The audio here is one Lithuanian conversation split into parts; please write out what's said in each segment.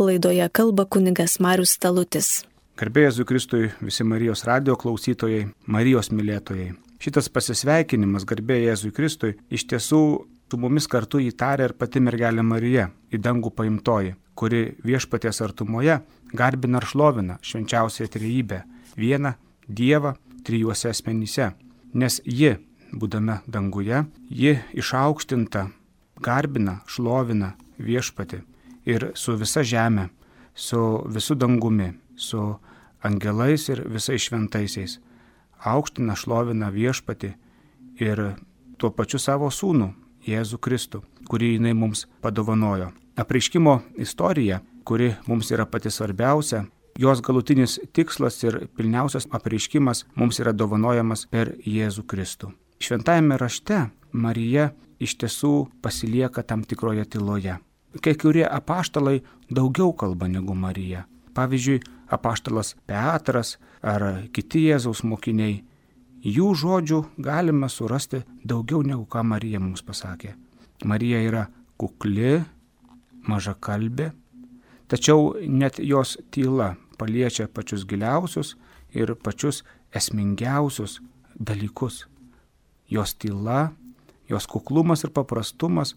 Laidoje kalba kunigas Marius Talutis. Garbė Jėzui Kristui, visi Marijos radio klausytojai, Marijos mylėtojai. Šitas pasisveikinimas, garbė Jėzui Kristui, iš tiesų su mumis kartu įtarė ir pati mergelė Marija, į dangų paimtoji, kuri viešpaties artumoje garbina ir šlovina švenčiausią trejybę, vieną Dievą trijuose asmenyse. Nes ji, būdama danguje, ji išaukštinta, garbina, šlovina viešpatį ir su visa žemė, su visu dangumi, su angelais ir visais šventaisiais. Aukština, šlovina viešpatį ir tuo pačiu savo sūnų, Jėzų Kristų, kurį jinai mums padovanojo. Apreiškimo istorija, kuri mums yra pati svarbiausia, jos galutinis tikslas ir pilniausias apreiškimas mums yra dovanojamas per Jėzų Kristų. Šventajame rašte Marija iš tiesų pasilieka tam tikroje tyloje. Kai kurie apaštalai daugiau kalba negu Marija. Pavyzdžiui, apaštalas Petras ar kiti Jėzaus mokiniai, jų žodžių galima surasti daugiau negu ką Marija mums pasakė. Marija yra kukli, mažakalbė, tačiau net jos tyla paliečia pačius giliausius ir pačius esmingiausius dalykus. Jos tyla, jos kuklumas ir paprastumas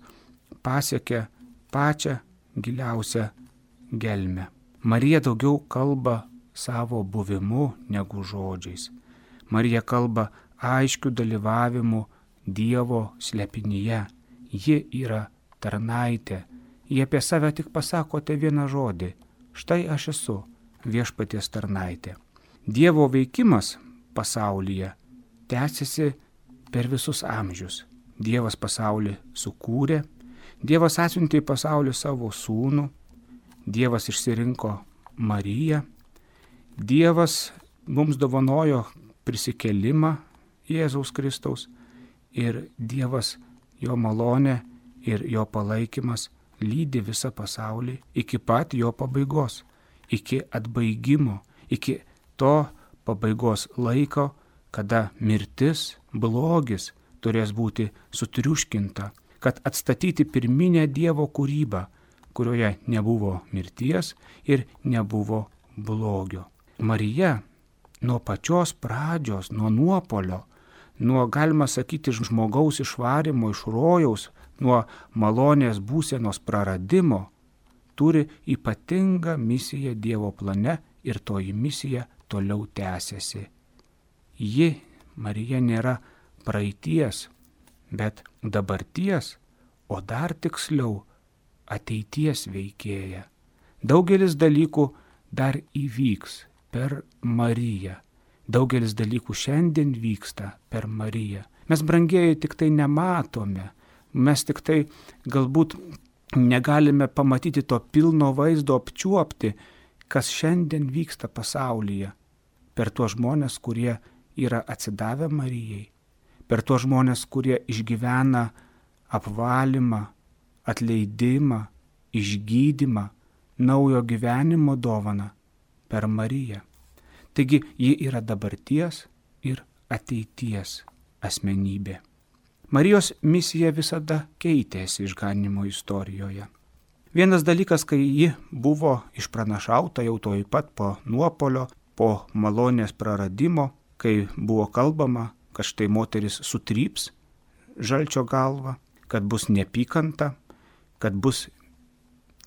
pasiekia pačią giliausią gelmę. Marija daugiau kalba savo buvimu negu žodžiais. Marija kalba aiškiu dalyvavimu Dievo slepinyje. Ji yra tarnaitė. Ji apie save tik pasakote vieną žodį. Štai aš esu viešpaties tarnaitė. Dievo veikimas pasaulyje tęsiasi per visus amžius. Dievas pasaulį sukūrė. Dievas atsiuntė į pasaulį savo sūnų. Dievas išsirinko Mariją. Dievas mums dovanojo prisikėlimą Jėzaus Kristaus ir Dievas, jo malonė ir jo palaikymas lydi visą pasaulį iki pat jo pabaigos, iki atbaigimo, iki to pabaigos laiko, kada mirtis, blogis turės būti sutriuškinta, kad atstatyti pirminę Dievo kūrybą, kurioje nebuvo mirties ir nebuvo blogio. Marija nuo pačios pradžios, nuo nuopolio, nuo, galima sakyti, žmogaus išvarimo iš rojaus, nuo malonės būsenos praradimo, turi ypatingą misiją Dievo plane ir toji misija toliau tęsiasi. Ji, Marija, nėra praeities, bet dabarties, o dar tiksliau ateities veikėja. Daugelis dalykų dar įvyks per Mariją. Daugelis dalykų šiandien vyksta per Mariją. Mes, brangieji, tik tai nematome. Mes tik tai galbūt negalime pamatyti to pilno vaizdo, apčiuopti, kas šiandien vyksta pasaulyje. Per tuos žmonės, kurie yra atsidavę Marijai. Per tuos žmonės, kurie išgyvena apvalymą, atleidimą, išgydymą, naujo gyvenimo dovaną per Mariją. Taigi ji yra dabarties ir ateities asmenybė. Marijos misija visada keitėsi išganymo istorijoje. Vienas dalykas, kai ji buvo išpranašauta jau tuoj pat po nuopolio, po malonės praradimo, kai buvo kalbama, kad štai moteris sutryps žalčio galvą, kad bus neapykanta, kad bus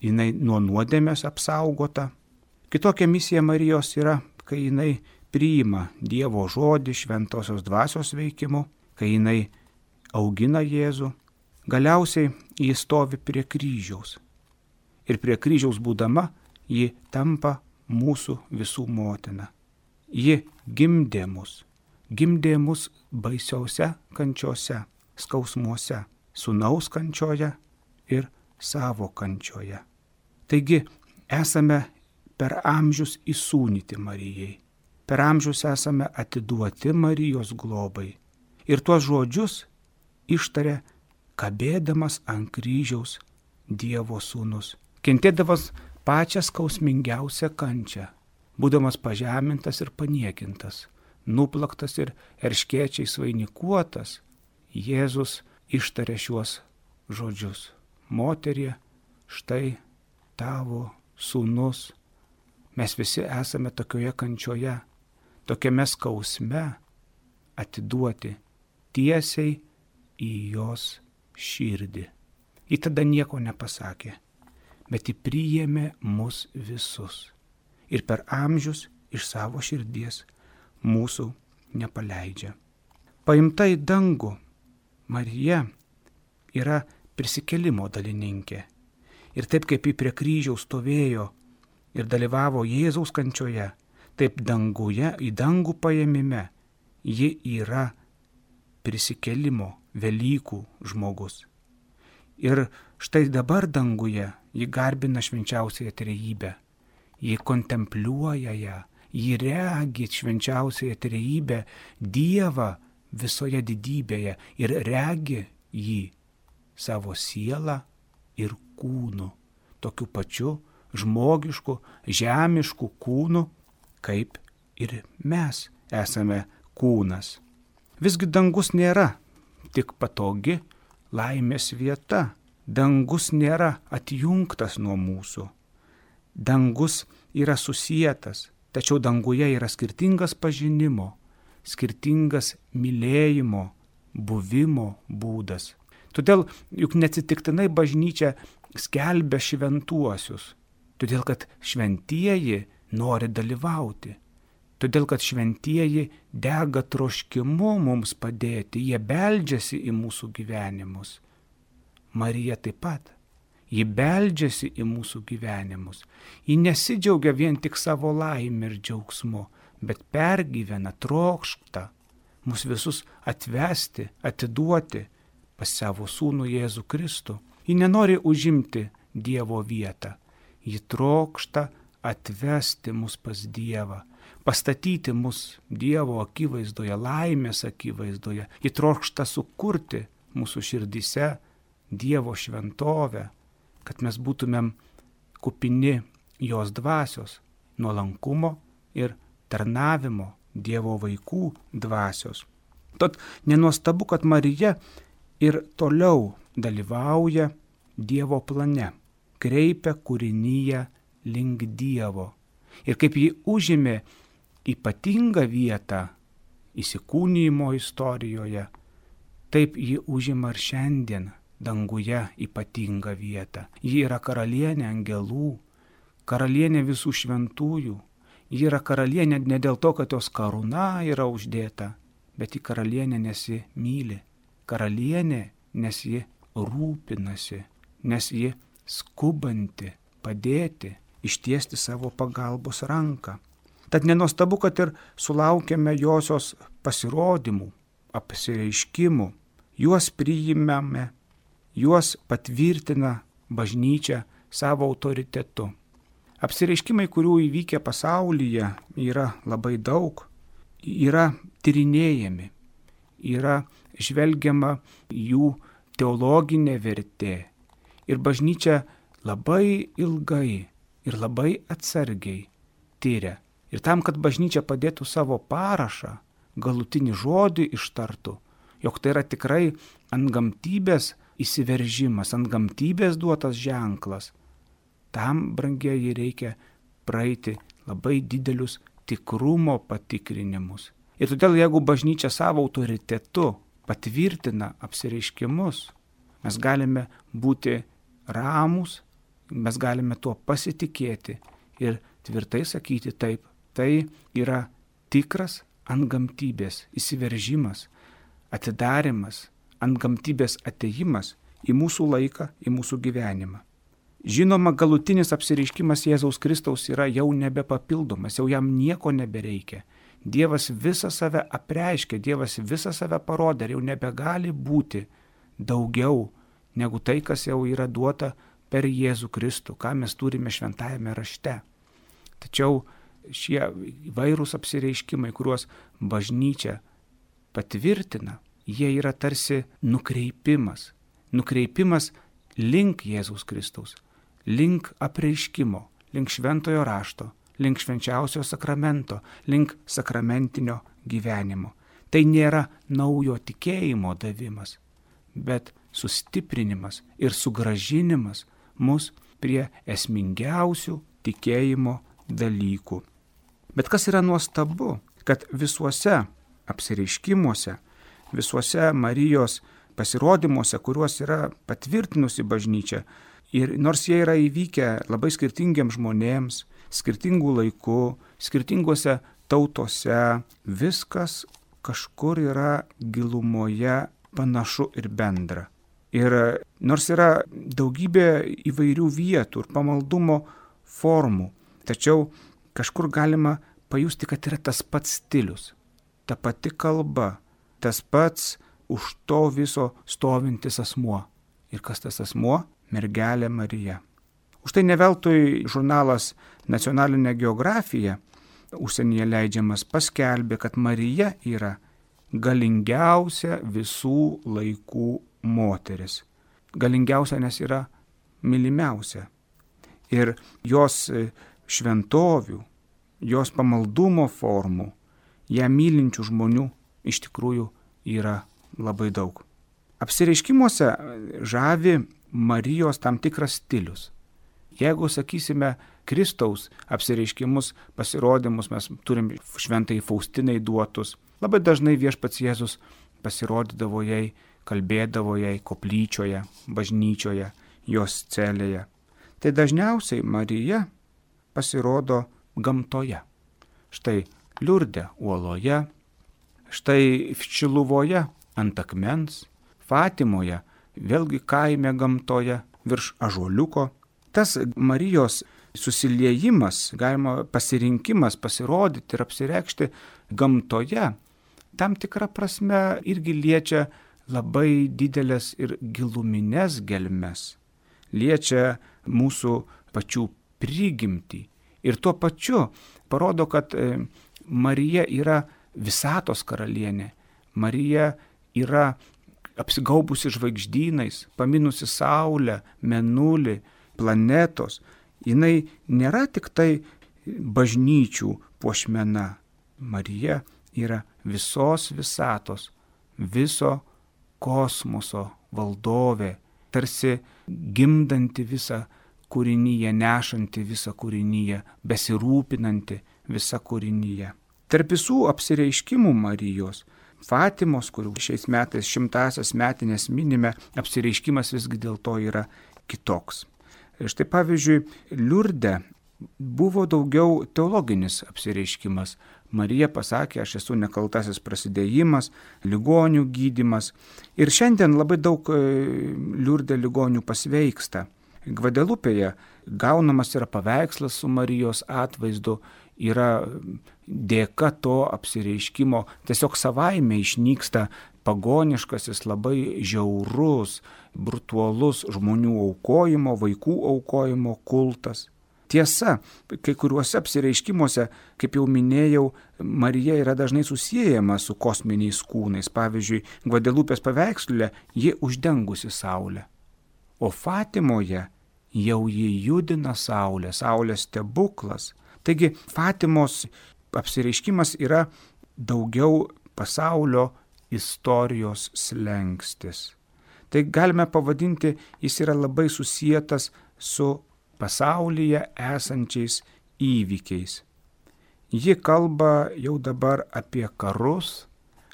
jinai nuo nuodėmės apsaugota. Kitokia misija Marijos yra, kai jinai priima Dievo žodį šventosios dvasios veikimu, kai jinai augina Jėzų. Galiausiai ji stovi prie kryžiaus. Ir prie kryžiaus būdama ji tampa mūsų visų motina. Ji gimdė mus baisiausia kančiose, skausmuose, sūnaus kančioje ir savo kančioje. Taigi esame per amžius įsūnyti Marijai. Per amžius esame atiduoti Marijos globai. Ir tuos žodžius ištarė kabėdamas ant kryžiaus Dievo sūnus, kentėdamas pačią skausmingiausią kančią, būdamas pažemintas ir paniekintas, nuplaktas ir erškėčiais vainikuotas, Jėzus ištarė šiuos žodžius: moterie, štai tavo sūnus. Mes visi esame tokioje kančioje, tokiame skausme atiduoti tiesiai į jos širdį. Ji tada nieko nepasakė, bet ji priėmė mus visus ir per amžius iš savo širdies mūsų nepaleidžia. Paimta į dangų, Marija yra prisikėlimo dalininkė. Ir taip kaip ji prie kryžiaus stovėjo ir dalyvavo Jėzaus kančioje, taip danguje, į dangų paėmime, ji yra prisikėlimo Velykų žmogus. Ir štai dabar danguje ji garbina švenčiausiąją trejybę, ji kontempliuoja ją, ji regi švenčiausiąją trejybę, Dievą visoje didybėje ir regi jį savo sielą ir kūnu, tokiu pačiu žmogišku, žemišku kūnu, kaip ir mes esame kūnas. Visgi dangus nėra tik patogi laimės vieta. Dangus nėra atjungtas nuo mūsų. Dangus yra susietas, tačiau danguje yra skirtingas pažinimo, skirtingas mylėjimo, buvimo būdas. Todėl juk neatsitiktinai bažnyčia skelbia šventuosius, todėl kad šventieji nori dalyvauti, todėl kad šventieji dega troškimu mums padėti, jie beldžiasi į mūsų gyvenimus. Marija taip pat, ji beldžiasi į mūsų gyvenimus, ji nesidžiaugia vien tik savo laimę ir džiaugsmu, bet pergyvena, trokšta mus visus atvesti, atiduoti pas savo sūnų Jėzų Kristų. Ji nenori užimti Dievo vietą, ji trokšta atvesti mus pas Dievą, pastatyti mus Dievo akivaizdoje, laimės akivaizdoje. Ji trokšta sukurti mūsų širdyse Dievo šventovę, kad mes būtumėm kupini jos dvasios, nuolankumo ir tarnavimo, Dievo vaikų dvasios. Tad nenuostabu, kad Marija ir toliau dalyvauja Dievo plane, kreipia kūrinyje link Dievo. Ir kaip ji užėmė ypatingą vietą įsikūnijimo istorijoje, taip ji užima ir šiandien danguje ypatingą vietą. Ji yra karalienė angelų, karalienė visų šventųjų. Ji yra karalienė ne dėl to, kad jos karūna yra uždėta, bet ji karalienė, nes ji myli. Karalienė, nes ji rūpinasi, nes ji skubanti padėti, ištiesti savo pagalbos ranką. Tad nenuostabu, kad ir sulaukėme josios pasirodymų, apsireiškimų. Juos priimame, juos patvirtina bažnyčia savo autoritetu. Apsireiškimai, kurių įvykę pasaulyje, yra labai daug, yra tyrinėjami, yra žvelgiama jų teologinė vertė. Ir bažnyčia labai ilgai ir labai atsargiai tyria. Ir tam, kad bažnyčia padėtų savo parašą, galutinį žodį ištartų, jog tai yra tikrai antgamtybės įsiveržimas, antgamtybės duotas ženklas, tam, brangieji, reikia praeiti labai didelius tikrumo patikrinimus. Ir todėl, jeigu bažnyčia savo autoritetu patvirtina apsireiškimus, mes galime būti ramūs, mes galime tuo pasitikėti ir tvirtai sakyti taip, tai yra tikras antgamtybės įsiveržimas, atidarimas, antgamtybės atėjimas į mūsų laiką, į mūsų gyvenimą. Žinoma, galutinis apsireiškimas Jėzaus Kristaus yra jau nebepapildomas, jau jam nieko nebereikia. Dievas visą save apreiškė, Dievas visą save parodė ir jau nebegali būti daugiau negu tai, kas jau yra duota per Jėzų Kristų, ką mes turime šventajame rašte. Tačiau šie įvairūs apsireiškimai, kuriuos bažnyčia patvirtina, jie yra tarsi nukreipimas link Jėzaus Kristaus, link apreiškimo, link šventojo rašto, link švenčiausio sakramento, link sakramentinio gyvenimo. Tai nėra naujo tikėjimo davimas, bet sustiprinimas ir sugrąžinimas mus prie esmingiausių tikėjimo dalykų. Bet kas yra nuostabu, kad visuose apsireiškimuose, visuose Marijos pasirodymuose, kuriuos yra patvirtinusi bažnyčia, ir nors jie yra įvykę labai skirtingiems žmonėms, skirtingų laikų, skirtingose tautose, viskas kažkur yra gilumoje panašu ir bendra. Ir nors yra daugybė įvairių vietų ir pamaldumo formų, tačiau kažkur galima pajusti, kad yra tas pats stilius, ta pati kalba, tas pats už to viso stovintis asmuo. Ir kas tas asmuo? Mergelė Marija. Už tai neveltui žurnalas Nacionalinė geografija, užsienyje leidžiamas, paskelbė, kad Marija yra galingiausia visų laikų moteris. Galingiausia, nes yra mylimiausia. Ir jos šventovių, jos pamaldumo formų, ją mylinčių žmonių iš tikrųjų yra labai daug. Apsireiškimuose žavi Marijos tam tikras stilius. Jeigu, sakysime, Kristaus apsireiškimus, pasirodymus mes turim šventai Faustinai duotus, labai dažnai Viešpats Jėzus pasirodydavo jai, kalbėdavo jai koplyčioje, bažnyčioje, jos celėje. Tai dažniausiai Marija pasirodo gamtoje. Štai Liurde uoloje, štai Šiluvoje ant akmens, Fatimoje, vėlgi kaime gamtoje, virš ąžuoliuko. Tas Marijos susiliejimas, galima pasirinkimas pasirodyti ir apsireikšti gamtoje, tam tikrą prasme irgi liečia labai didelės ir giluminės gelmes, liečia mūsų pačių prigimtį. Ir tuo pačiu parodo, kad Marija yra visatos karalienė, Marija yra apsigaubusi žvaigždynais, paminusi saulę, mėnulį, planetos. Jinai nėra tik tai bažnyčių puošmena. Marija yra visos visatos, viso kosmoso valdovė, tarsi gimdanti visą kūrinyje, nešanti visą kūrinyje, besirūpinanti visą kūrinyje. Tarp visų apsireiškimų Marijos, Fatimos, kurių šiais metais 100-asias metinės minime, apsireiškimas visgi dėl to yra kitoks. Štai pavyzdžiui, Liurde buvo daugiau teologinis apsireiškimas. Marija pasakė, aš esu nekaltasis prasidėjimas, ligonių gydymas. Ir šiandien labai daug Liurde ligonių pasveiksta. Gvadelupėje gaunamas yra paveikslas su Marijos atvaizdu, yra dėka to apsireiškimo, tiesiog savaime išnyksta pagoniškasis, labai žiaurus, brutualus žmonių aukojimo, vaikų aukojimo kultas. Tiesa, kai kuriuose apsireiškimuose, kaip jau minėjau, Marija yra dažnai susiejama su kosminiais kūnais. Pavyzdžiui, Gvadelupės paveiksle ji uždengusi saulę, o Fatimoje jau ji judina saulę, saulės stebuklas. Taigi Fatimos apsireiškimas yra daugiau pasaulio istorijos slenkstis. Tai galime pavadinti, jis yra labai susietas su pasaulyje esančiais įvykiais. Ji kalba jau dabar apie karus,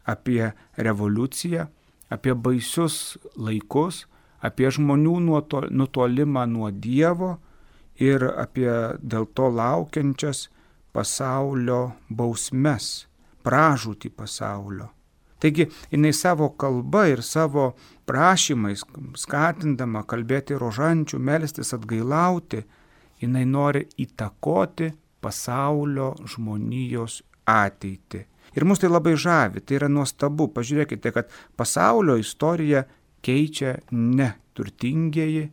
apie revoliuciją, apie baisius laikus, apie žmonių nutolimą nuo Dievo ir apie dėl to laukiančias pasaulio bausmes, pražūtį pasaulio. Taigi, jinai savo kalba ir savo prašymais, skatindama kalbėti rožančių, melstis, atgailauti, jinai nori įtakoti pasaulio žmonijos ateitį. Ir mus tai labai žavi, tai yra nuostabu. Pažiūrėkite, kad pasaulio istoriją keičia ne turtingieji,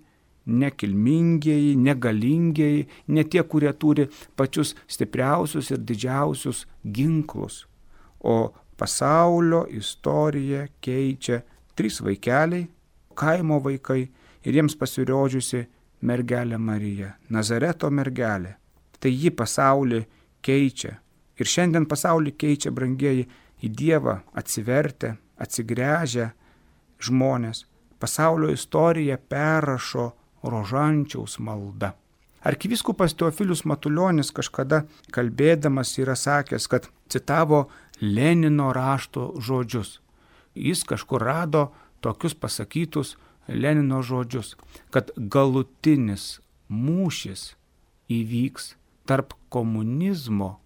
nekilmingieji, negalingieji, ne tie, kurie turi pačius stipriausius ir didžiausius ginklus. O pasaulio istoriją keičia 3 vaikeliai, kaimo vaikai ir jiems pasirodžiusi mergelė Marija, Nazareto mergelė. Tai ji pasaulį keičia. Ir šiandien pasaulį keičia, brangieji, į Dievą atsivertę, atsigręžę žmonės. Pasaulio istoriją perrašo rožančiaus malda. Arkivyskupas Teofilius Matulionis kažkada kalbėdamas yra sakęs, kad citavo Lenino rašto žodžius. Jis kažkur rado tokius pasakytus Lenino žodžius, kad galutinis mūšis įvyks tarp komunizmo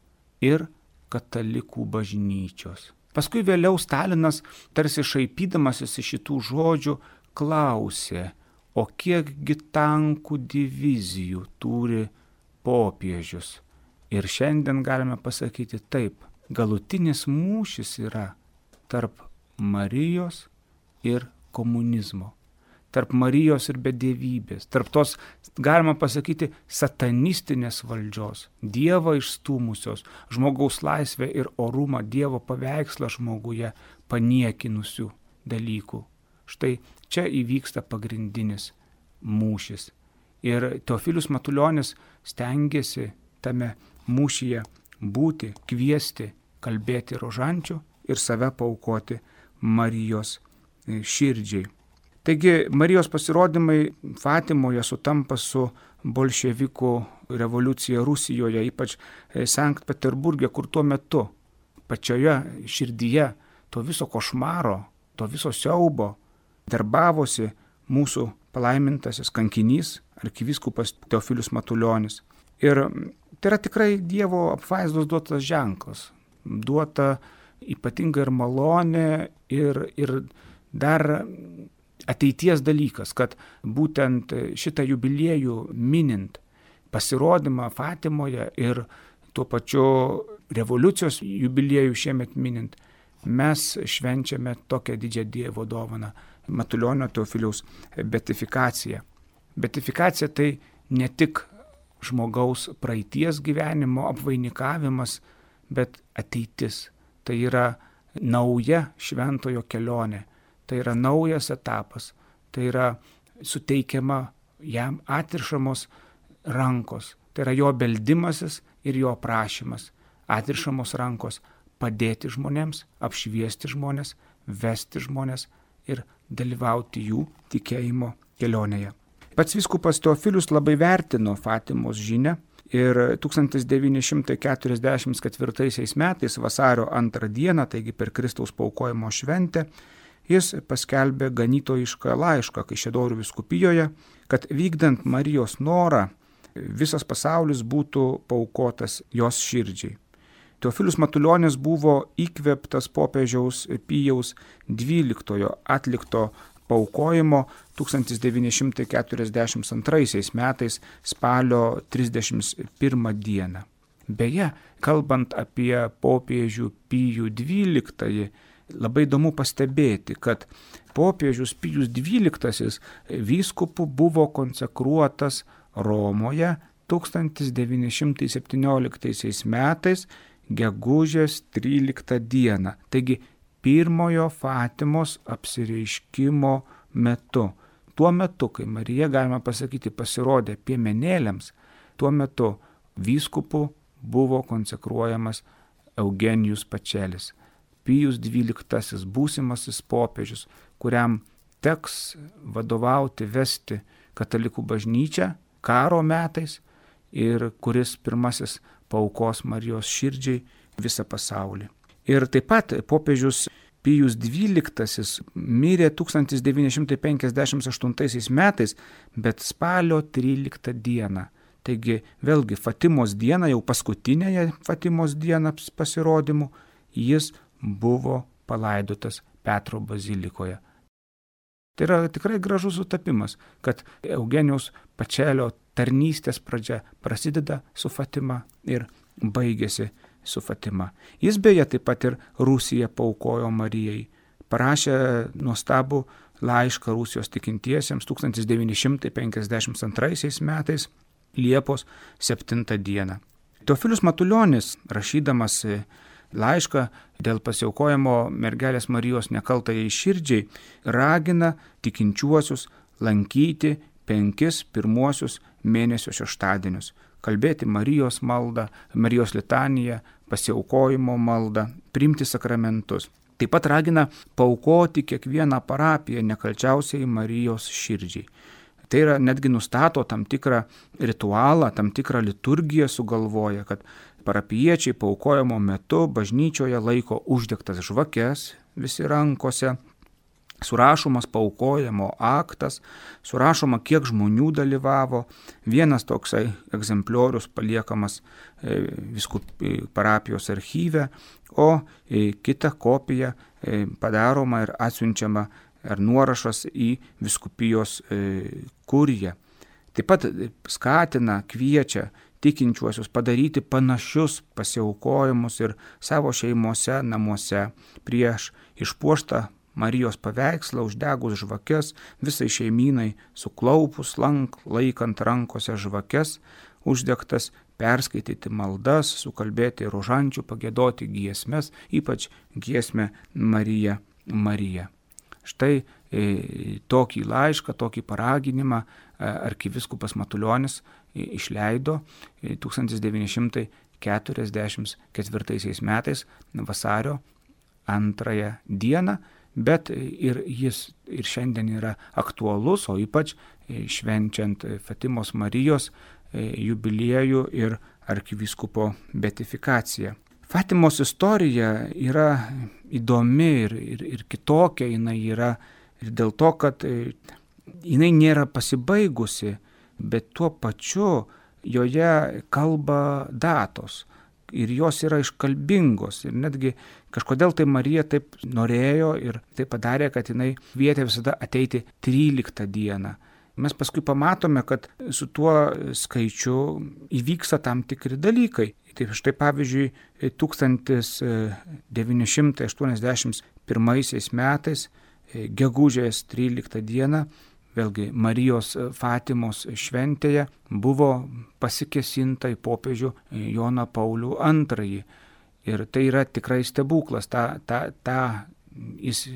ir katalikų bažnyčios. Paskui vėliau Stalinas, tarsi šaipydamasis iš šitų žodžių, klausė, o kiekgi tankų divizijų turi popiežius. Ir šiandien galime pasakyti taip, galutinis mūšis yra tarp Marijos ir komunizmo, tarp Marijos ir bedevybės, tarp tos, galima pasakyti, satanistinės valdžios, Dievą išstūmusios, žmogaus laisvę ir orumą, Dievo paveikslą žmoguje paniekinusių dalykų. Štai čia įvyksta pagrindinis mūšis. Ir Teofilius Matulionis stengiasi tame mūšyje būti, kviesti, kalbėti rožančių ir save paaukoti Marijos širdžiai. Taigi Marijos pasirodymai Fatimoje sutampa su bolševikų revoliucija Rusijoje, ypač Sankt Peterburge, kur tuo metu pačioje širdyje to viso košmaro, to viso siaubo darbavosi mūsų palaimintasis kankinys, arkivyskupas Teofilius Matulionis. Ir tai yra tikrai Dievo apvaizdos duotas ženklas, duota ypatinga ir malonė ir dar ateities dalykas, kad būtent šitą jubiliejų minint, pasirodymą Fatimoje ir tuo pačiu revoliucijos jubiliejų šiemet minint, mes švenčiame tokią didžią Dievo dovaną, Matulionio Teofiliaus beatifikaciją. Beatifikacija tai ne tik žmogaus praeities gyvenimo apvainikavimas, bet ateitis. Tai yra nauja šventojo kelionė. Tai yra naujas etapas, tai yra suteikiama jam atrišamos rankos, tai yra jo beldimasis ir jo prašymas, atrišamos rankos padėti žmonėms, apšviesti žmonės, vesti žmonės ir dalyvauti jų tikėjimo kelionėje. Pats vyskupas Teofilius labai vertino Fatimos žinią ir 1944 metais vasario 2 dieną, taigi per Kristaus paaukojimo šventę, jis paskelbė ganytojišką laišką Kaišiadorių vyskupijoje, kad vykdant Marijos norą visas pasaulis būtų paaukotas jos širdžiai. Teofilius Matulionis buvo įkvėptas popiežiaus Pijaus XII atlikto paaukojimo 1942 metais spalio 31 dieną. Beje, kalbant apie popiežių Pijų XII, labai įdomu pastebėti, kad popiežius Pijus XII vyskupu buvo konsekruotas Romoje 1917 metais gegužės 13 dieną. Taigi pirmojo Fatimos apsireiškimo metu. Tuo metu, kai Marija, galima pasakyti, pasirodė piemenėliams, tuo metu vyskupu buvo konsekruojamas Eugenijus Pačelis. Pijus XII būsimasis popiežius, kuriam teks vadovauti, vesti katalikų bažnyčią karo metais ir kuris pirmasis paaukos Marijos širdžiai visą pasaulį. Ir taip pat popiežius Pijus XII mirė 1958 metais, bet spalio 13 dieną. Taigi vėlgi Fatimos dieną, jau paskutinėje Fatimos dieną pasirodymų, jis buvo palaidotas Petro bazilikoje. Tai yra tikrai gražus sutapimas, kad Eugenijaus Pačelio tarnystės pradžia prasideda su Fatima ir baigėsi su Fatima. Jis beje taip pat ir Rusiją paaukojo Marijai. Parašė nuostabų laišką Rusijos tikintiesiems 1952 metais Liepos 7 dieną. Teofilius Matulionis, rašydamas laišką dėl pasiaukojimo mergelės Marijos nekaltajai širdžiai, ragina tikinčiuosius lankyti 5 pirmuosius mėnesio šeštadienius, kalbėti Marijos maldą, Marijos litaniją, pasiaukojimo maldą, priimti sakramentus. Taip pat ragina paaukoti kiekvieną parapiją nekalčiausiai Marijos širdžiai. Tai yra netgi nustato tam tikrą ritualą, tam tikrą liturgiją sugalvoja, kad parapijiečiai paaukojimo metu bažnyčioje laiko uždegtas žvakes visi rankose, surašomas paaukojimo aktas, surašoma, kiek žmonių dalyvavo, vienas toksai egzempliorius paliekamas parapijos archyve, o kita kopija padaroma ir atsiunčiama ar nuorašas į vyskupijos kuriją. Taip pat skatina, kviečia tikinčiuosius padaryti panašius pasiaukojimus ir savo šeimose, namuose prieš išpuoštą Marijos paveikslą, uždegus žvakes, visai šeimynai suklaupus, laikant rankose žvakes, uždegtas, perskaityti maldas, sukalbėti rožančių, pagiedoti giesmes, ypač giesmę Marija, Marija. Štai tokį laišką, tokį paraginimą arkivyskupas Matulionis išleido 1944 metais vasario 2 dieną, bet ir jis ir šiandien yra aktualus, o ypač švenčiant Fatimos Marijos jubiliejų ir arkivyskupo beatifikaciją. Fatimos istorija yra įdomi ir kitokia, jinai yra ir dėl to, kad jinai nėra pasibaigusi, bet tuo pačiu joje kalba datos. Ir jos yra iškalbingos. Ir netgi kažkodėl tai Marija taip norėjo ir tai padarė, kad jinai kvietė visada ateiti 13 dieną. Mes paskui pamatome, kad su tuo skaičiu įvyksta tam tikri dalykai. Tai štai pavyzdžiui, 1981 metais, gegužės 13 dieną, vėlgi Marijos Fatimos šventėje buvo pasikėsinta į popiežių Joną Paulių II. Ir tai yra tikrai stebuklas. Jis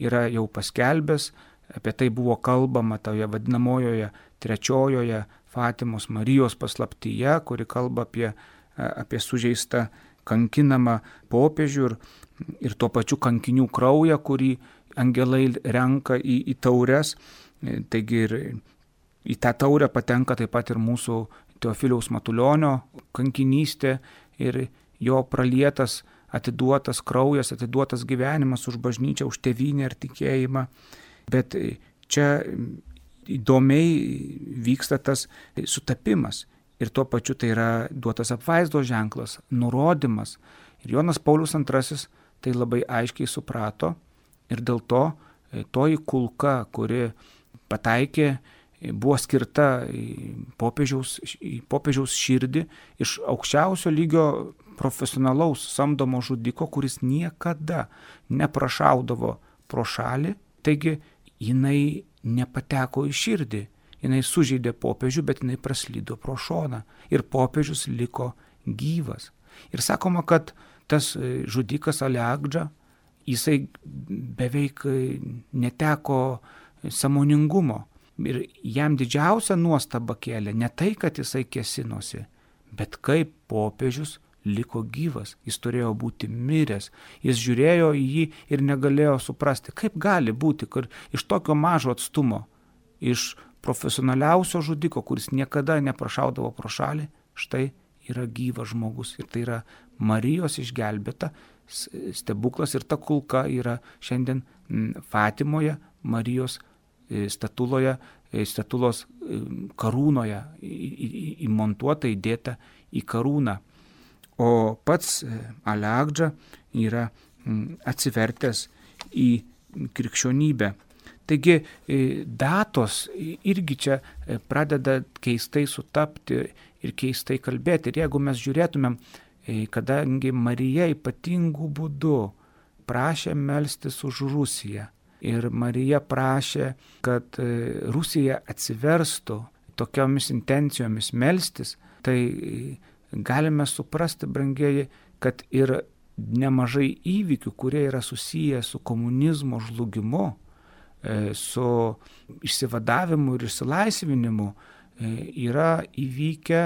yra jau paskelbęs, apie tai buvo kalbama toje vadinamojoje 3 Fatimos Marijos paslaptyje, kuri kalba apie sužeistą kankinamą popiežių ir tuo pačiu kankinių kraują, kurį angelai renka į taures. Taigi ir į tą taurę patenka taip pat ir mūsų Teofiliaus Matulionio kankinystė ir jo pralietas, atiduotas kraujas, atiduotas gyvenimas už bažnyčią, už tėvynę ir tikėjimą. Bet čia įdomiai vyksta tas sutapimas ir tuo pačiu tai yra duotas apvaizdos ženklas, nurodymas. Ir Jonas Paulius II tai labai aiškiai suprato ir dėl to toji kulka, kuri pataikė, buvo skirta į popiežiaus širdį iš aukščiausio lygio profesionalaus samdomo žudiko, kuris niekada neprašaudavo pro šalį, taigi jinai nepateko į širdį, jinai sužeidė popiežių, bet jinai praslydo pro šoną ir popiežius liko gyvas. Ir sakoma, kad tas žudikas Aliagdža, jisai beveik neteko sąmoningumo ir jam didžiausia nuostaba kėlė ne tai, kad jisai kėsinosi, bet kaip popiežius liko gyvas. Jis turėjo būti miręs. Jis žiūrėjo į jį ir negalėjo suprasti, kaip gali būti, kad iš tokio mažo atstumo, iš profesionaliausio žudiko, kuris niekada neprašaudavo pro šalį, štai yra gyvas žmogus. Ir tai yra Marijos išgelbėta stebuklas ir ta kulka yra šiandien Fatimoje, Marijos statulos karūnoje įmontuota, įdėta į karūną. O pats Aliagdža yra atsivertęs į krikščionybę. Taigi datos irgi čia pradeda keistai sutapti ir keistai kalbėti. Ir jeigu mes žiūrėtumėm, kadangi Marija ypatingų būdų prašė melstis už Rusiją ir Marija prašė, kad Rusija atsiverstų tokiomis intencijomis melstis, tai galime suprasti, brangieji, kad ir nemažai įvykių, kurie yra susiję su komunizmo žlugimu, su išsivadavimu ir išsilaisvinimu, yra įvykę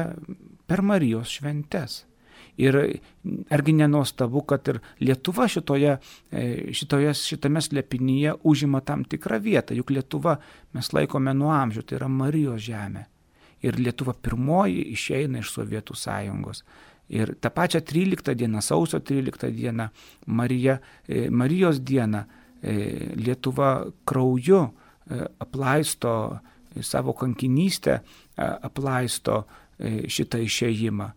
per Marijos šventes. Ir argi nenuostabu, kad ir Lietuva šitame slėpinyje užima tam tikrą vietą, juk Lietuva mes laikome nuo amžių, tai yra Marijos žemė. Ir Lietuva pirmoji išeina iš Sovietų sąjungos. Ir tą pačią 13 dieną, sausio 13 dieną, Marijos dieną, Lietuva krauju aplaisto savo kankinystę, aplaisto šitą išėjimą.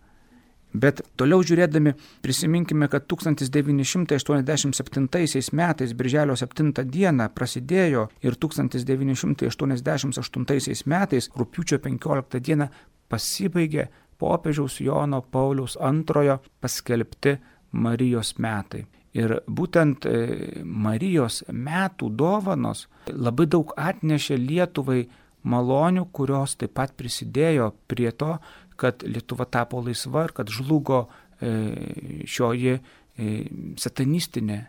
Bet toliau žiūrėdami prisiminkime, kad 1987 metais, birželio 7 dieną prasidėjo ir 1988 metais, rugpjūčio 15 dieną pasibaigė popiežiaus Jono Pauliaus II paskelbti Marijos metai. Ir būtent Marijos metų dovanos labai daug atnešė Lietuvai malonių, kurios taip pat prisidėjo prie to, kad Lietuva tapo laisva ir kad žlugo šioji satanistinė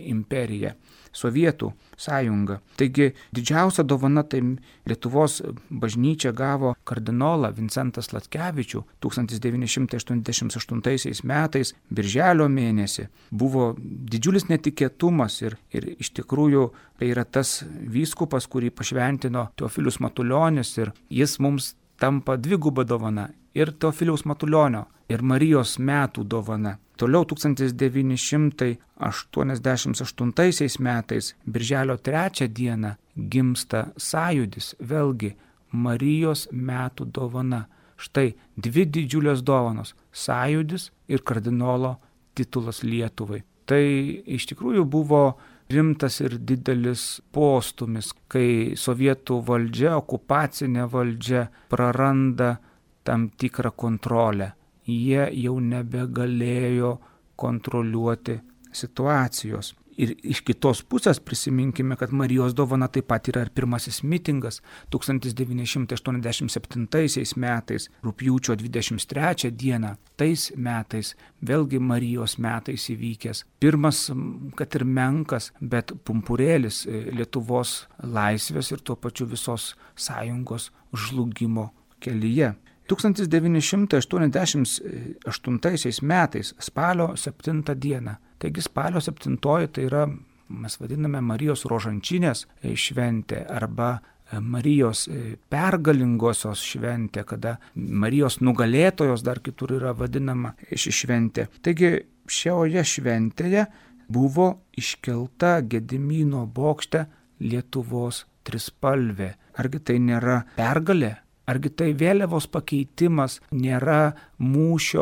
imperija, Sovietų sąjunga. Taigi didžiausia dovana tai Lietuvos bažnyčia gavo kardinolą Vincentą Sladkevičių 1988 metais, birželio mėnesį. Buvo didžiulis netikėtumas ir iš tikrųjų tai yra tas vyskupas, kurį pašventino Teofilius Matulionis ir jis mums tampa dviguba dovana ir Teofiliaus Matulionio ir Marijos metų dovana. Toliau 1988 metais, birželio 3 dieną, gimsta sąjūdis, vėlgi Marijos metų dovana. Štai dvi didžiulės dovanos - sąjūdis ir kardinolo titulas Lietuvai. Tai iš tikrųjų buvo rimtas ir didelis postūmis, kai sovietų valdžia, okupacinė valdžia praranda tam tikrą kontrolę. Jie jau nebegalėjo kontroliuoti situacijos. Ir iš kitos pusės prisiminkime, kad Marijos dovana taip pat yra ir pirmasis mitingas 1987 metais, rugpjūčio 23 dieną, tais metais, vėlgi Marijos metais įvykęs. Pirmas, kad ir menkas, bet pumpurėlis Lietuvos laisvės ir tuo pačiu visos sąjungos žlugimo kelyje. 1988 metais, spalio 7 dieną. Taigi spalio 7 tai yra, mes vadiname Marijos rožančinės šventė arba Marijos pergalingosios šventė, kada Marijos nugalėtojos dar kitur yra vadinama ši šventė. Taigi šioje šventėje buvo iškelta Gedimino bokšte Lietuvos trispalvė. Argi tai nėra pergalė? Argi tai vėliavos pakeitimas nėra mūšio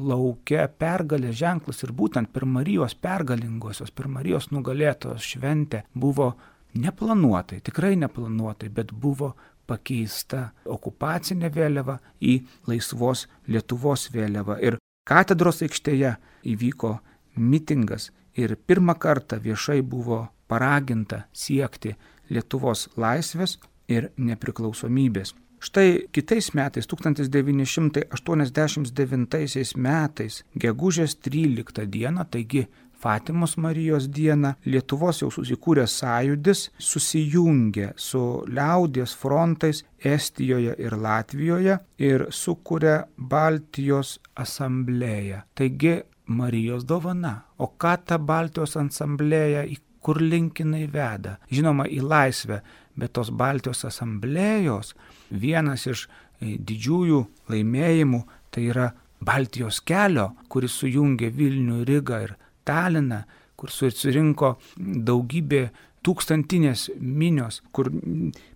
lauke pergalės ženklas ir būtent per Marijos pergalingosios, per Marijos nugalėtojos šventę buvo neplanuotai, tikrai neplanuotai, bet buvo pakeista okupacinė vėliava į laisvos Lietuvos vėliavą. Ir katedros aikštėje įvyko mitingas ir pirmą kartą viešai buvo paraginta siekti Lietuvos laisvės ir nepriklausomybės. Štai kitais metais, 1989 metais, gegužės 13 dieną, taigi Fatimos Marijos dieną, Lietuvos jau susikūręs sąjūdis susijungė su liaudies frontais Estijoje ir Latvijoje ir sukūrė Baltijos asamblėją. Taigi Marijos dovana. O ką ta Baltijos asamblėja, kur link jinai veda? Žinoma, į laisvę, bet tos Baltijos asamblėjos vienas iš didžiųjų laimėjimų tai yra Baltijos kelio, kuris sujungė Vilnių, Rygą ir Taliną, kur surinko daugybė tūkstantinės minios, kur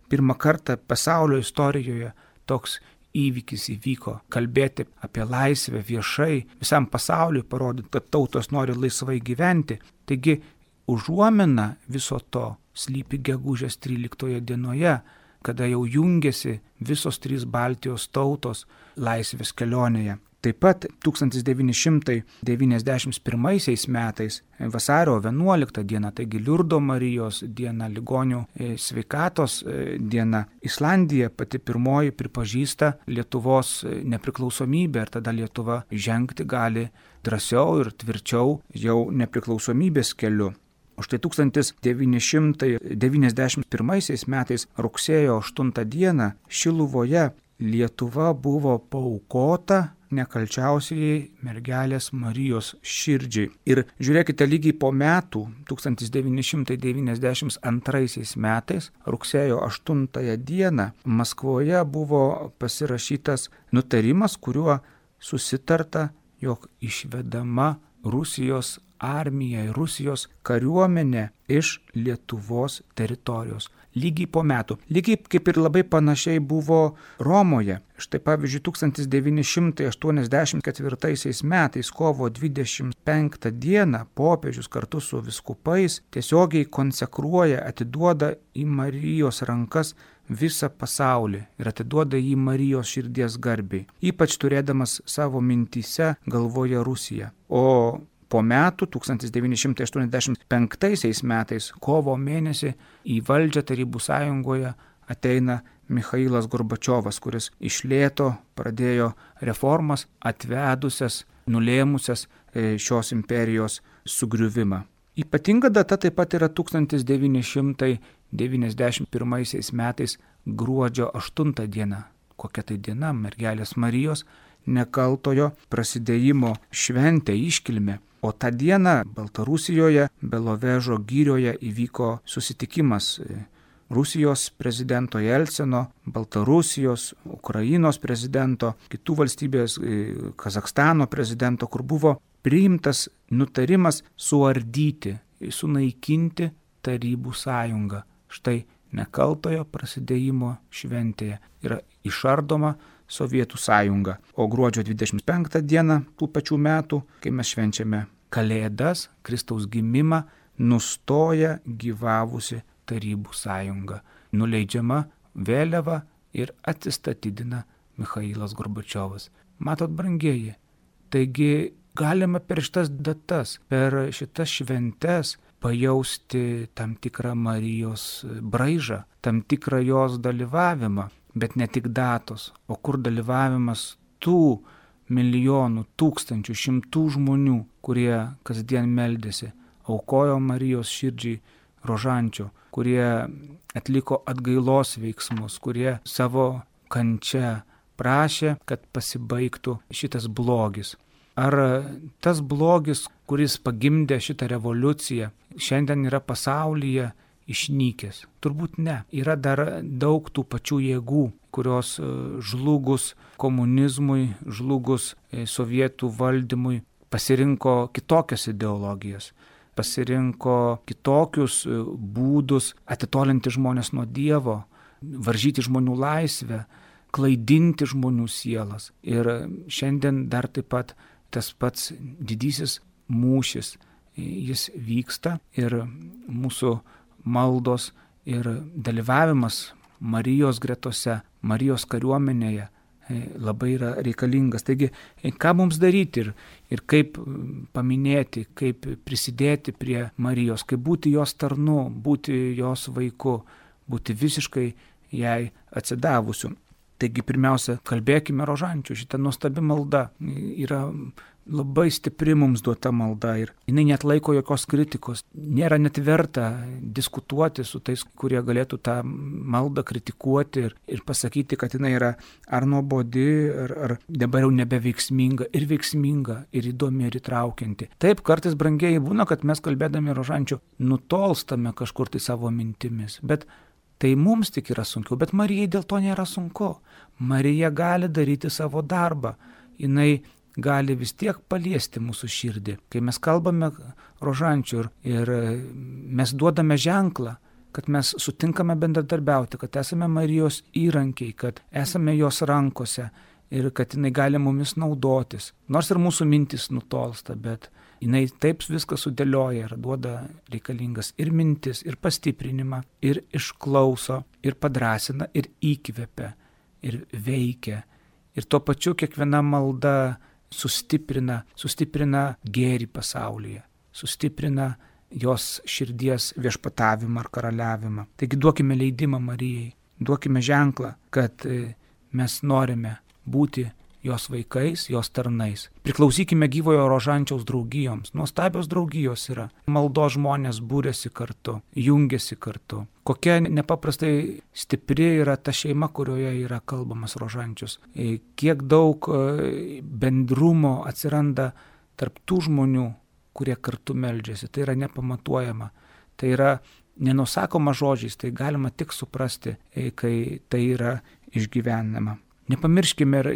pirmą kartą pasaulio istorijoje toks įvykis įvyko. Kalbėti apie laisvę viešai, visam pasauliui parodyti, kad tautos nori laisvai gyventi. Taigi užuomina viso to slypi gegužės 13 dienoje, kada jau jungiasi visos trys Baltijos tautos laisvės kelionėje. Taip pat 1991 metais vasario 11 diena, taigi Liurdo Marijos diena, ligonių sveikatos diena, Islandija pati pirmoji pripažįsta Lietuvos nepriklausomybę ir tada Lietuva žengti gali drąsiau ir tvirčiau jau nepriklausomybės keliu. O štai 1991 metais rugsėjo 8 dieną Šiluvoje Lietuva buvo paaukota nekalčiausiai mergelės Marijos širdžiai. Ir žiūrėkite, lygiai po metų, 1992 metais, rugsėjo 8 dieną, Maskvoje buvo pasirašytas nutarimas, kuriuo susitarta, jog išvedama Rusijos armija ir Rusijos kariuomenė iš Lietuvos teritorijos. Lygiai po metų. Lygiai kaip ir labai panašiai buvo Romoje. Štai pavyzdžiui, 1984 metais kovo 25 dieną popiežius kartu su vyskupais tiesiogiai konsekruoja, atiduoda į Marijos rankas visą pasaulį ir atiduoda jį Marijos širdies garbei, ypač turėdamas savo mintyse galvoje Rusiją. O po metų, 1985 metais, kovo mėnesį, į valdžią Tarybų sąjungoje ateina Michailas Gorbačiovas, kuris iš lėto pradėjo reformas, atvedusias, nulėmusias šios imperijos sugriuvimą. Ypatinga data taip pat yra 1991 metais gruodžio 8 diena. Kokia tai diena? Mergelės Marijos nekaltojo prasidėjimo šventė, iškilmė. O tą dieną Baltarusijoje, Belovežo girioje įvyko susitikimas Rusijos prezidento Jelcino, Baltarusijos, Ukrainos prezidento, kitų valstybės, Kazakstano prezidento, kur buvo priimtas nutarimas suardyti, sunaikinti Tarybų sąjungą. Štai nekaltojo prasidėjimo šventėje yra išardoma Sovietų sąjunga. O gruodžio 25 dieną tų pačių metų, kai mes švenčiame Kalėdas, Kristaus gimimą, nustoja gyvavusi Tarybų sąjunga. Nuleidžiama vėliava ir atsistatydina Michailas Gorbačiovas. Matot, brangieji, taigi galima per šitas datas, per šitas šventes pajausti tam tikrą Marijos braižą, tam tikrą jos dalyvavimą, bet ne tik datos, o kur dalyvavimas tų milijonų, tūkstančių, šimtų žmonių, kurie kasdien meldėsi, aukojo Marijos širdžiai rožančio, kurie atliko atgailos veiksmus, kurie savo kančia prašė, kad pasibaigtų šitas blogis. Ar tas blogis, kuris pagimdė šitą revoliuciją, šiandien yra pasaulyje išnykęs? Turbūt ne. Yra dar daug tų pačių jėgų, kurios žlugus komunizmui, žlugus sovietų valdymui pasirinko kitokias ideologijas, pasirinko kitokius būdus atitolinti žmonės nuo Dievo, varžyti žmonių laisvę, klaidinti žmonių sielas. Ir šiandien dar taip pat tas pats didysis mūšis, jis vyksta ir mūsų maldos ir dalyvavimas Marijos gretose, Marijos kariuomenėje labai yra reikalingas. Taigi, ką mums daryti ir kaip paminėti, kaip prisidėti prie Marijos, kaip būti jos tarnu, būti jos vaiku, būti visiškai jai atsidavusiu. Taigi, pirmiausia, kalbėkime rožančių. Šita nuostabi malda yra labai stipri mums duota malda ir jinai net laiko jokios kritikos. Nėra net verta diskutuoti su tais, kurie galėtų tą maldą kritikuoti ir pasakyti, kad jinai yra ar nuobodi, ar dabar jau nebeveiksminga, ir veiksminga, ir įdomi, ir įtraukianti. Taip, kartais, brangieji, būna, kad mes kalbėdami rožančių nutolstame kažkur tai savo mintimis, bet tai mums tik yra sunkiau, bet Marijai dėl to nėra sunku. Marija gali daryti savo darbą. Jinai gali vis tiek paliesti mūsų širdį. Kai mes kalbame rožančių ir mes duodame ženklą, kad mes sutinkame bendradarbiauti, kad esame Marijos įrankiai, kad esame jos rankose ir kad jinai gali mumis naudotis. Nors ir mūsų mintis nutolsta, bet jinai taip viską sudėlioja ir duoda reikalingas ir mintis, ir pastiprinimą, ir išklauso, ir padrasina, ir įkvepia, ir veikia. Ir tuo pačiu kiekviena malda sustiprina gėrį pasaulyje, sustiprina jos širdies viešpatavimą ar karaliavimą. Taigi duokime leidimą Marijai, duokime ženklą, kad mes norime būti jos vaikais, jos tarnais. Priklausykime gyvojo rožančiaus draugijoms. Nuostabios draugijos yra. Maldos žmonės būrėsi kartu, jungiasi kartu. Kokia nepaprastai stipri yra ta šeima, kurioje yra kalbamas rožančius. Kiek daug bendrumo atsiranda tarp tų žmonių, kurie kartu meldžiasi. Tai yra nepamatuojama. Tai yra nenusakoma žodžiais, tai galima tik suprasti, kai tai yra išgyvenama. Nepamirškime ir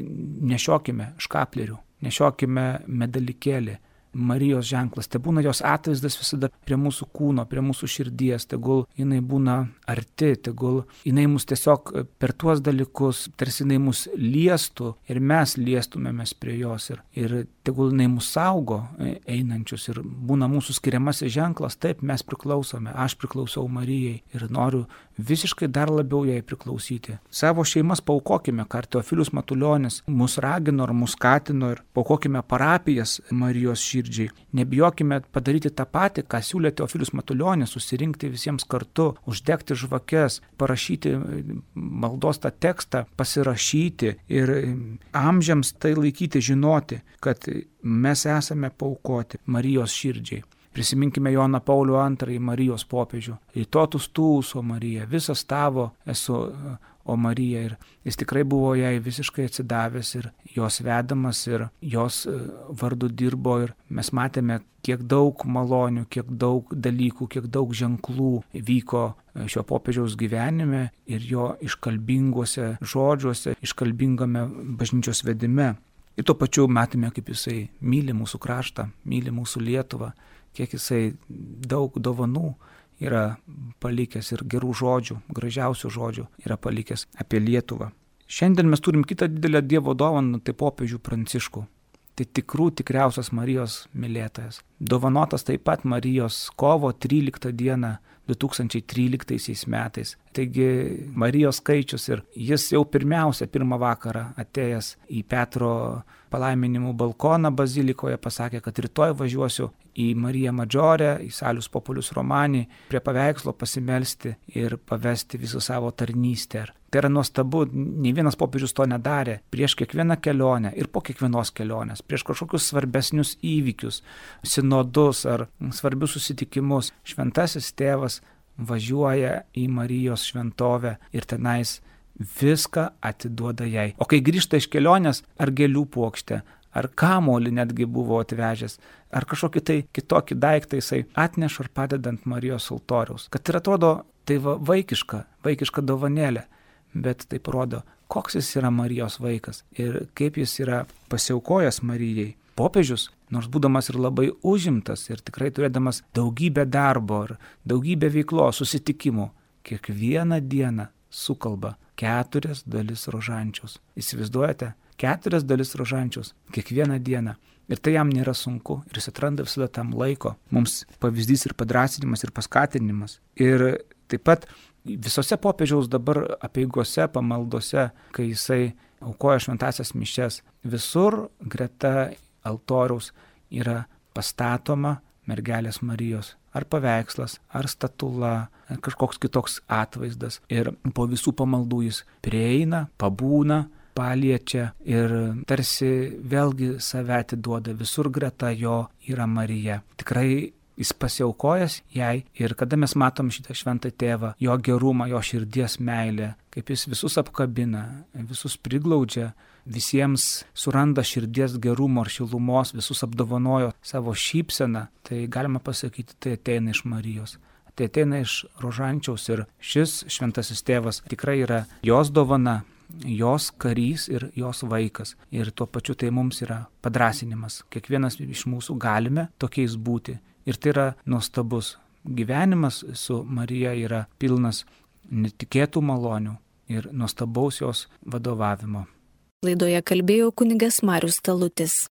nešiokime škaplerių, nešiokime medalikėlį. Marijos ženklas, tai būna jos atvaizdas visada prie mūsų kūno, prie mūsų širdies, tegul jinai būna arti, tegul jinai mus tiesiog per tuos dalykus, tarsi jinai mus liestų ir mes liestumėmės prie jos ir tegul jinai mus saugo einančius ir būna mūsų skiriamasis ženklas, taip mes priklausome, aš priklausau Marijai ir noriu visiškai dar labiau jai priklausyti. Savo šeimas paaukokime, ką Teofilius Matulionis mus ragino ar mus skatino ir paaukokime parapijas Marijos širdžiai. Nebijokime padaryti tą patį, ką siūlė Teofilius Matulionis, susirinkti visiems kartu, uždegti žvakes, parašyti maldos tą tekstą, pasirašyti ir amžiams tai laikyti, žinoti, kad mes esame paaukoti Marijos širdžiai. Prisiminkime Joną Paulių II, Marijos popiežių. Į totus tūs, o Marija, visas tavo esu, o Marija. Ir jis tikrai buvo jai visiškai atsidavęs ir jos vedamas ir jos vardu dirbo. Ir mes matėme, kiek daug malonių, kiek daug dalykų, kiek daug ženklų vyko šio popiežiaus gyvenime ir jo iškalbinguose žodžiuose, iškalbingame bažnyčios vedime. Ir tuo pačiu matėme, kaip jisai myli mūsų kraštą, myli mūsų Lietuvą, kiek jisai daug dovanų yra palikęs ir gerų žodžių, gražiausių žodžių yra palikęs apie Lietuvą. Šiandien mes turim kitą didelę Dievo dovaną, tai popiežių Pranciškų. Tai tikriausias Marijos mylėtojas. Dovanotas taip pat Marijos kovo 13 dieną 2013 metais. Taigi Marijos skaičius ir jis jau pirmą vakarą atėjęs į Petro palaiminimų balkoną bazilikoje pasakė, kad rytoj važiuosiu į Mariją Madžorę, į Salius Populius Romani, prie paveikslo pasimelsti ir pavesti visą savo tarnystę. Tai yra nuostabu, nei vienas popiežius to nedarė. Prieš kiekvieną kelionę ir po kiekvienos kelionės, prieš kažkokius svarbesnius įvykius, sinodus ar svarbius susitikimus, šventasis tėvas važiuoja į Marijos šventovę ir tenais viską atiduoda jai. O kai grįžta iš kelionės, ar gėlių puokštę, ar kamolį netgi buvo atvežęs, ar kažkokį tai kitokį daiktą jisai atneša ar padedant Marijos altoriaus. Kad ir atrodo, tai vaikiška dovanėlė, bet tai parodo, koks jis yra Marijos vaikas ir kaip jis yra pasiaukojęs Marijai. Popiežius, nors būdamas ir labai užimtas ir tikrai turėdamas daugybę darbo ir daugybę veiklos, susitikimų, kiekvieną dieną sukalba 4 dalis rožančiaus. Įsivaizduojate? 4 dalis rožančiaus kiekvieną dieną. Ir tai jam nėra sunku ir jis atranda visada tam laiko. Mums pavyzdys ir padrasinimas ir paskatinimas. Ir taip pat visose popiežiaus dabar apeigose, pamaldose, kai jisai aukoja šventasias mišias, visur greta altoriaus yra pastatoma mergelės Marijos. Ar paveikslas, ar statula, ar kažkoks kitoks atvaizdas. Ir po visų pamaldų jis prieina, pabūna, paliečia ir tarsi vėlgi save atiduoda. Visur greta jo yra Marija. Tikrai jis pasiaukojęs jai ir kada mes matom šitą šventą tėvą, jo gerumą, jo širdies meilę, kaip jis visus apkabina, visus priglaudžia, visiems suranda širdies gerumo ar šilumos, visus apdovanojo savo šypseną, tai galima pasakyti, tai ateina iš Marijos. Tai ateina iš rožančiaus ir šis šventasis tėvas tikrai yra jos dovana, jos karys ir jos vaikas. Ir tuo pačiu tai mums yra padrasinimas. Kiekvienas iš mūsų galime tokiais būti. Ir tai yra nuostabus. Gyvenimas su Marija yra pilnas netikėtų malonių ir nuostabaus jos vadovavimo. Laidoje kalbėjo kunigas Marius Talutis.